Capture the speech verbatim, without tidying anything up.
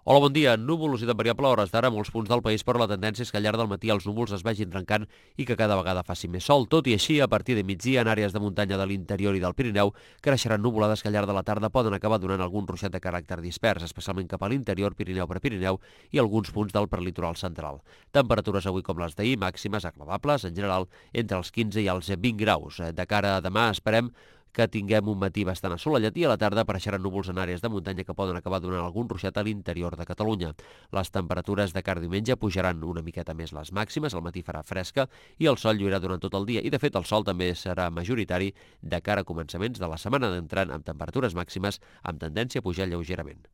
Hola, bon dia. Nuvolositat variable a hores d'ara a molts punts del país, però la tendència és que al llarg del matí els núvols es vagin trencant i que cada vegada faci més sol. Tot i així, a partir de migdia, en àrees de muntanya de l'interior i del Pirineu, creixeran nuvolades que al llarg de la tarda poden acabar donant algun ruixat de caràcter dispers, especialment cap a l'interior, Pirineu per Pirineu i alguns punts del prelitoral central. Temperatures avui com les d'ahir, màximes agradables, en general, entre els quinze i els vint graus. De cara a demà esperem que tinguem un matí bastant assolellat i a la tarda apareixeran núvols en àrees de muntanya que poden acabar donant algun ruixat a l'interior de Catalunya. Les temperatures de cara a diumenge pujaran una miqueta més les màximes, al matí farà fresca i el sol lluirà durant tot el dia i de fet el sol també serà majoritari de cara a començaments de la setmana, entrant amb temperatures màximes amb tendència a pujar lleugerament.